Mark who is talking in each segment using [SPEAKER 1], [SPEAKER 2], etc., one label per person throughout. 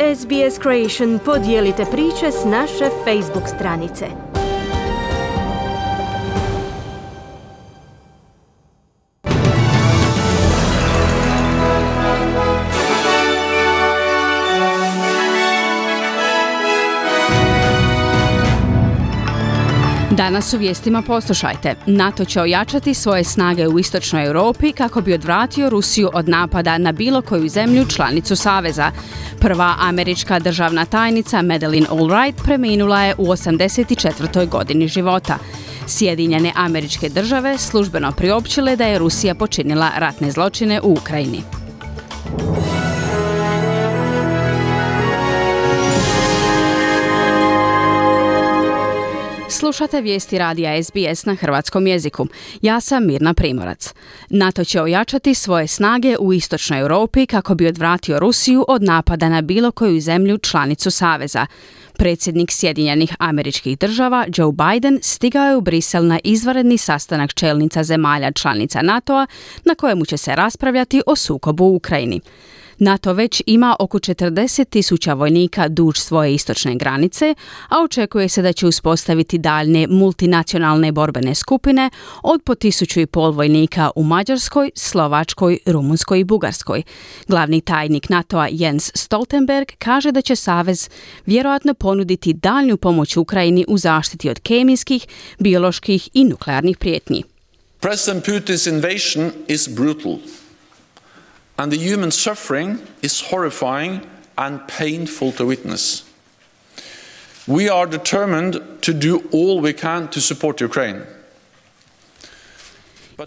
[SPEAKER 1] SBS Creation podijelite priče s naše Facebook stranice.
[SPEAKER 2] Danas u vijestima poslušajte. NATO će ojačati svoje snage u istočnoj Europi kako bi odvratio Rusiju od napada na bilo koju zemlju članicu Saveza. Prva američka državna tajnica Madeleine Albright preminula je u 84. godini života. Sjedinjene Američke Države službeno priopćile da je Rusija počinila ratne zločine u Ukrajini. Slušate vijesti radija SBS na hrvatskom jeziku. Ja sam Mirna Primorac. NATO će ojačati svoje snage u istočnoj Europi kako bi odvratio Rusiju od napada na bilo koju zemlju članicu Saveza. Predsjednik Sjedinjenih Američkih Država Joe Biden stigao je u Brisel na izvanredni sastanak čelnica zemalja članica NATO-a na kojemu će se raspravljati o sukobu u Ukrajini. NATO već ima oko 40,000 vojnika duž svoje istočne granice, a očekuje se da će uspostaviti daljne multinacionalne borbene skupine od po 1,500 vojnika u Mađarskoj, Slovačkoj, Rumunskoj i Bugarskoj. Glavni tajnik NATO-a Jens Stoltenberg kaže da će Savez vjerojatno ponuditi daljnju pomoć Ukrajini u zaštiti od kemijskih, bioloških i nuklearnih prijetnji.
[SPEAKER 3] President Putin's invasion is brutal. And the human suffering is horrifying and painful to witness. We are determined to do all we can to support Ukraine.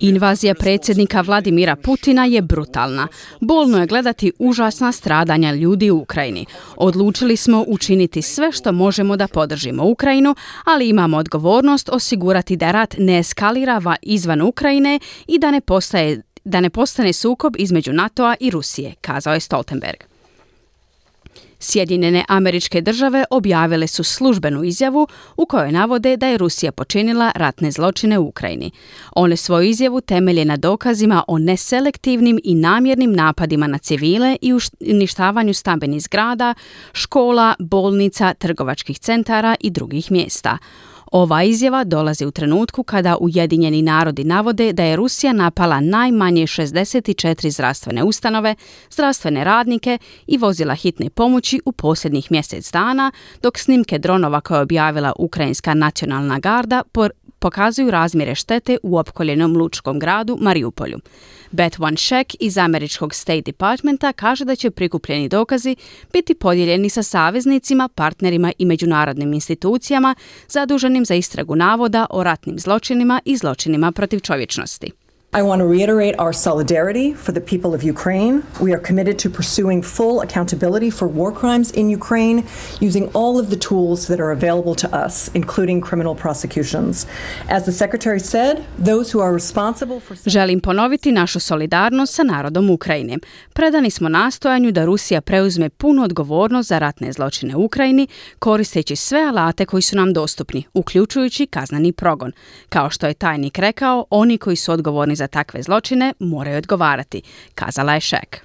[SPEAKER 2] Invazija predsjednika Vladimira Putina je brutalna. Bolno je gledati užasna stradanja ljudi u Ukrajini. Odlučili smo učiniti sve što možemo da podržimo Ukrajinu, ali imamo odgovornost osigurati da rat ne eskalira izvan Ukrajine i da ne postane sukob između NATO-a i Rusije, kazao je Stoltenberg. Sjedinjene Američke Države objavile su službenu izjavu u kojoj navode da je Rusija počinila ratne zločine u Ukrajini. One svoju izjavu temelje na dokazima o neselektivnim i namjernim napadima na civile i uništavanju stambenih zgrada, škola, bolnica, trgovačkih centara i drugih mjesta. Ova izjava dolazi u trenutku kada Ujedinjeni narodi navode da je Rusija napala najmanje 64 zdravstvene ustanove, zdravstvene radnike i vozila hitne pomoći u posljednjih mjesec dana, dok snimke dronova koje je objavila Ukrajinska nacionalna garda pokazuju razmjere štete u opkoljenom lučkom gradu Mariupolju. Beth Van Schaick iz američkog State Departmenta kaže da će prikupljeni dokazi biti podijeljeni sa saveznicima, partnerima i međunarodnim institucijama zaduženim za istragu navoda o ratnim zločinima i zločinima protiv čovječnosti.
[SPEAKER 4] I want to reiterate our solidarity for the people of Ukraine. We are committed to pursuing full accountability for war crimes in Ukraine using all of the tools that are available to us, including criminal prosecutions. As the Secretary said, those who are responsible for...
[SPEAKER 2] Želim ponoviti našu solidarnost sa narodom Ukrajine. Predani smo nastojanju da Rusija preuzme punu odgovornost za ratne zločine u Ukrajini, koristeći sve alate koji su nam dostupni, uključujući kazneni progon. Kao što je tajnik rekao, oni koji su odgovorni za takve zločine moraju odgovarati, kazala je Schaick.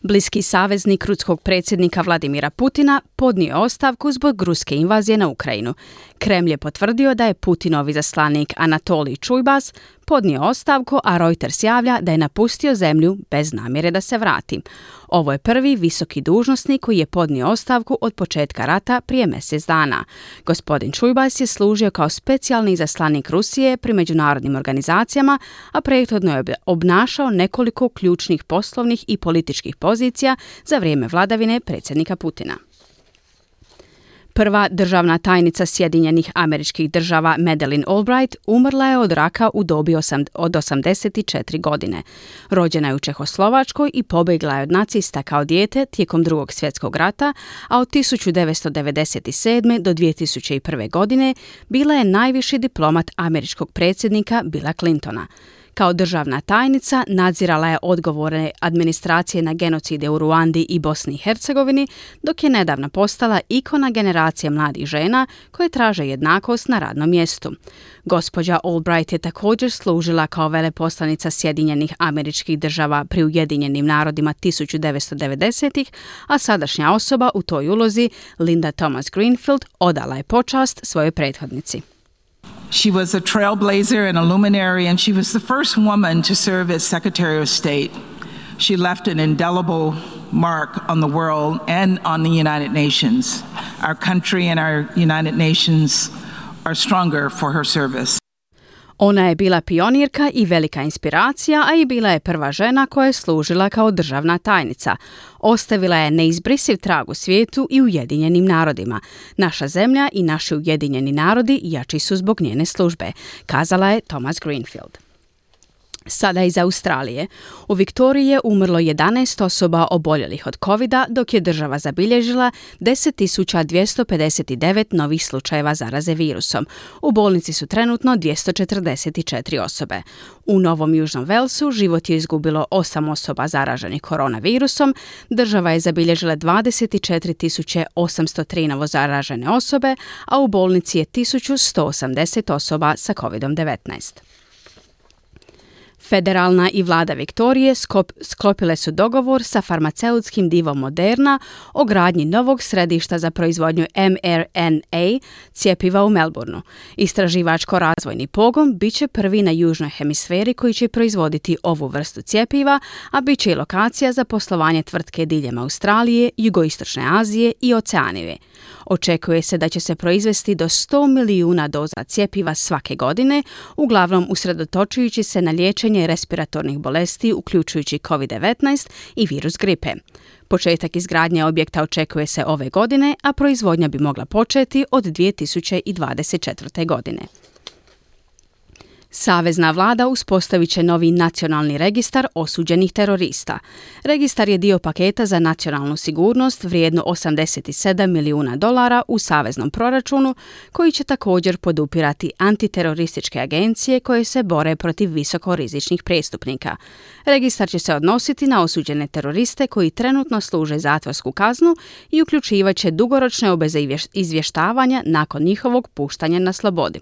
[SPEAKER 2] Bliski saveznik ruskog predsjednika Vladimira Putina podnio je ostavku zbog ruske invazije na Ukrajinu. Kremlj je potvrdio da je Putinov izaslanik Anatolij Čujbas podnio ostavku, a Reuters javlja da je napustio zemlju bez namjere da se vrati. Ovo je prvi visoki dužnosnik koji je podnio ostavku od početka rata prije mjesec dana. Gospodin Čujbas je služio kao specijalni izaslanik Rusije pri međunarodnim organizacijama, a prethodno je obnašao nekoliko ključnih poslovnih i političkih pozicija za vrijeme vladavine predsjednika Putina. Prva državna tajnica Sjedinjenih Američkih Država Madeleine Albright umrla je od raka u dobi od 84 godine. Rođena je u Čehoslovačkoj i pobjegla je od nacista kao dijete tijekom Drugog svjetskog rata, a od 1997. do 2001. godine bila je najviši diplomat američkog predsjednika Billa Clintona. Kao državna tajnica nadzirala je odgovore administracije na genocide u Ruandi i Bosni i Hercegovini, dok je nedavno postala ikona generacije mladih žena koje traže jednakost na radnom mjestu. Gospođa Albright je također služila kao veleposlanica Sjedinjenih Američkih Država pri Ujedinjenim narodima 1990-ih, a sadašnja osoba u toj ulozi, Linda Thomas Greenfield, odala je počast svojoj prethodnici.
[SPEAKER 5] She was a trailblazer and a luminary, and she was the first woman to serve as Secretary of State. She left an indelible mark on the world and on the United Nations. Our country and our United Nations are stronger for her service.
[SPEAKER 2] Ona je bila pionirka i velika inspiracija, a i bila je prva žena koja je služila kao državna tajnica. Ostavila je neizbrisiv trag u svijetu i Ujedinjenim narodima. Naša zemlja i naši Ujedinjeni narodi jači su zbog njene službe, kazala je Thomas Greenfield. Sada iz Australije. U Viktoriji je umrlo 11 osoba oboljelih od covida, dok je država zabilježila 10.259 novih slučajeva zaraze virusom. U bolnici su trenutno 244 osobe. U Novom Južnom Velsu život je izgubilo 8 osoba zaraženih koronavirusom. Država je zabilježila 24.803 novo zaražene osobe, a u bolnici je 1.180 osoba sa COVID-19. Federalna i vlada Viktorije sklopile su dogovor sa farmaceutskim divom Moderna o gradnji novog središta za proizvodnju mRNA cjepiva u Melbourneu. Istraživačko-razvojni pogon bit će prvi na južnoj hemisferi koji će proizvoditi ovu vrstu cjepiva, a bit će i lokacija za poslovanje tvrtke diljem Australije, Jugoistočne Azije i Oceanije. Očekuje se da će se proizvesti do 100 milijuna doza cjepiva svake godine, uglavnom usredotočujući se na liječenje respiratornih bolesti, uključujući COVID-19 i virus gripe. Početak izgradnje objekta očekuje se ove godine, a proizvodnja bi mogla početi od 2024. godine. Savezna vlada uspostavit će novi nacionalni registar osuđenih terorista. Registar je dio paketa za nacionalnu sigurnost vrijedno $87 milijuna u saveznom proračunu, koji će također podupirati antiterorističke agencije koje se bore protiv visokorizičnih prestupnika. Registar će se odnositi na osuđene teroriste koji trenutno služe zatvorsku kaznu i uključivat će dugoročne obveze izvještavanja nakon njihovog puštanja na slobodi.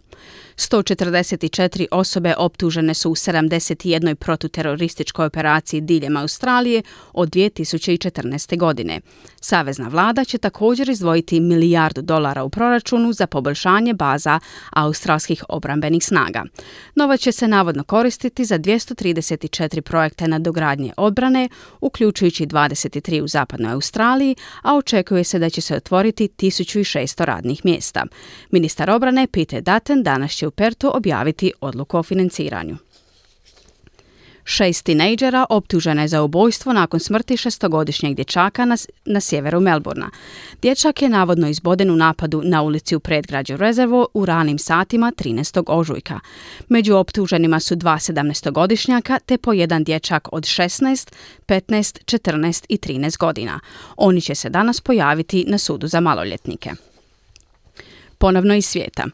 [SPEAKER 2] 144 osobe optužene su u 71 protuterorističkoj operaciji diljem Australije od 2014. godine. Savezna vlada će također izdvojiti $1 milijardu u proračunu za poboljšanje baza australskih obrambenih snaga. Novac će se navodno koristiti za 234 projekte nadogradnje odbrane, uključujući 23 u zapadnoj Australiji, a očekuje se da će se otvoriti 1600 radnih mjesta. Ministar obrane Peter Dutton danas će u Pertu objaviti odluku o financiranju. 6 tinejdžera optužena je za ubojstvo nakon smrti 6-godišnjeg dječaka na sjeveru Melbournea. Dječak je navodno izboden u napadu na ulici u predgrađu Reservoir u ranim satima 13. ožujka. Među optuženima su 2 17-godišnjaka te po jedan dječak od 16, 15, 14 i 13 godina. Oni će se danas pojaviti na sudu za maloljetnike. Ponovno iz svijeta.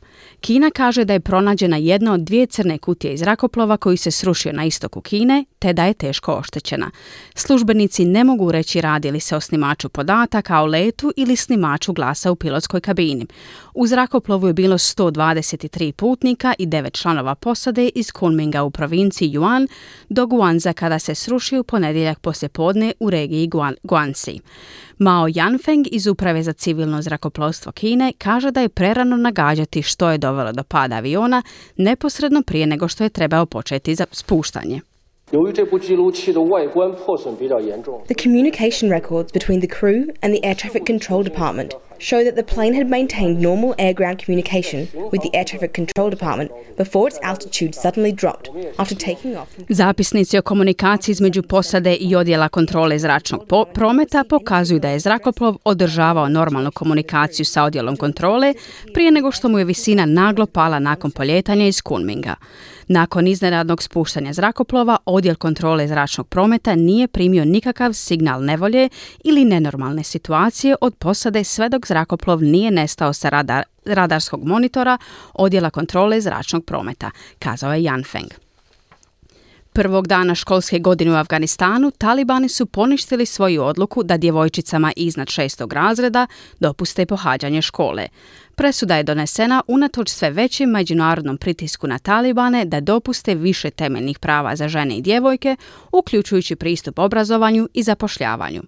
[SPEAKER 2] Kina kaže da je pronađena jedna od 2 crne kutije iz zrakoplova koji se srušio na istoku Kine, te da je teško oštećena. Službenici ne mogu reći radi li se o snimaču podataka o letu ili snimaču glasa u pilotskoj kabini. U zrakoplovu je bilo 123 putnika i 9 članova posade iz Kunminga u provinciji Yunnan do Guangza kada se srušio u ponedjeljak poslijepodne u regiji Guangxi. Mao Yanfeng iz Uprave za civilno zrakoplovstvo Kine kaže da je prerano nagađati što je dovelo do pada aviona neposredno prije nego što je trebao početi za spuštanje.
[SPEAKER 6] The communication records between the crew and the air traffic control department show that the plane had maintained normal air-ground communication with the air traffic control department before its altitude suddenly dropped after taking off.
[SPEAKER 2] Zapisnici o komunikaciji između posade i odjela kontrole zračnog prometa pokazuju da je zrakoplov održavao normalnu komunikaciju sa odjelom kontrole prije nego što mu je visina naglo pala nakon poljetanja iz Kunminga. Nakon iznenadnog spuštanja zrakoplova, odjel kontrole zračnog prometa nije primio nikakav signal nevolje ili nenormalne situacije od posade sve dok zrakoplov nije nestao sa radarskog monitora odjela kontrole zračnog prometa, kazao je Yanfeng. Prvog dana školske godine u Afganistanu talibani su poništili svoju odluku da djevojčicama iznad 6. razreda dopuste pohađanje škole. Presuda je donesena unatoč sve većem međunarodnom pritisku na talibane da dopuste više temeljnih prava za žene i djevojke, uključujući pristup obrazovanju i zapošljavanju.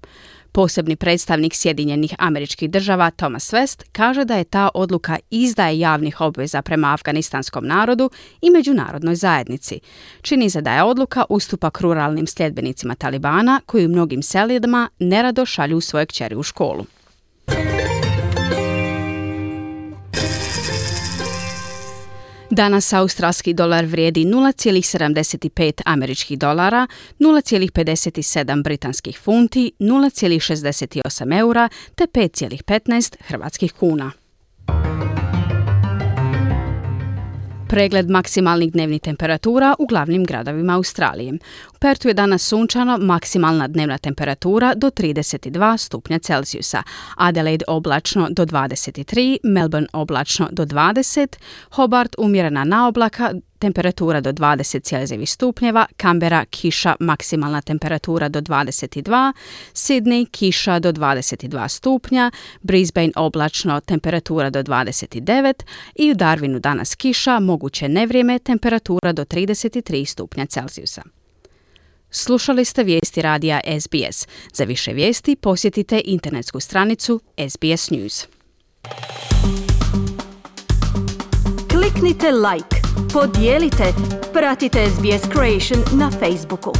[SPEAKER 2] Posebni predstavnik Sjedinjenih Američkih Država Thomas West kaže da je ta odluka izdaje javnih obveza prema afganistanskom narodu i međunarodnoj zajednici. Čini se da je odluka ustupak ruralnim sljedbenicima talibana koji u mnogim selima nerado šalju svoje kćeri u školu. Danas australski dolar vrijedi 0,75 američkih dolara, 0,57 britanskih funti, 0,68 eura te 5,15 hrvatskih kuna. Pregled maksimalnih dnevnih temperatura u glavnim gradovima Australije. U Pertu je danas sunčano, maksimalna dnevna temperatura do 32 stupnja Celzijusa, Adelaide oblačno do 23, Melbourne oblačno do 20, Hobart umjerena na oblaka, temperatura do 20 stupnjeva, Canberra kiša, maksimalna temperatura do 22, Sydney kiša do 22 stupnja, Brisbane oblačno, temperatura do 29 i u Darwinu danas kiša, moguće nevrijeme, temperatura do 33 stupnja Celzijusa. Slušali ste vijesti radija SBS. Za više vijesti posjetite internetsku stranicu SBS News.
[SPEAKER 1] Kliknite like, podijelite, pratite SBS Creation na Facebooku.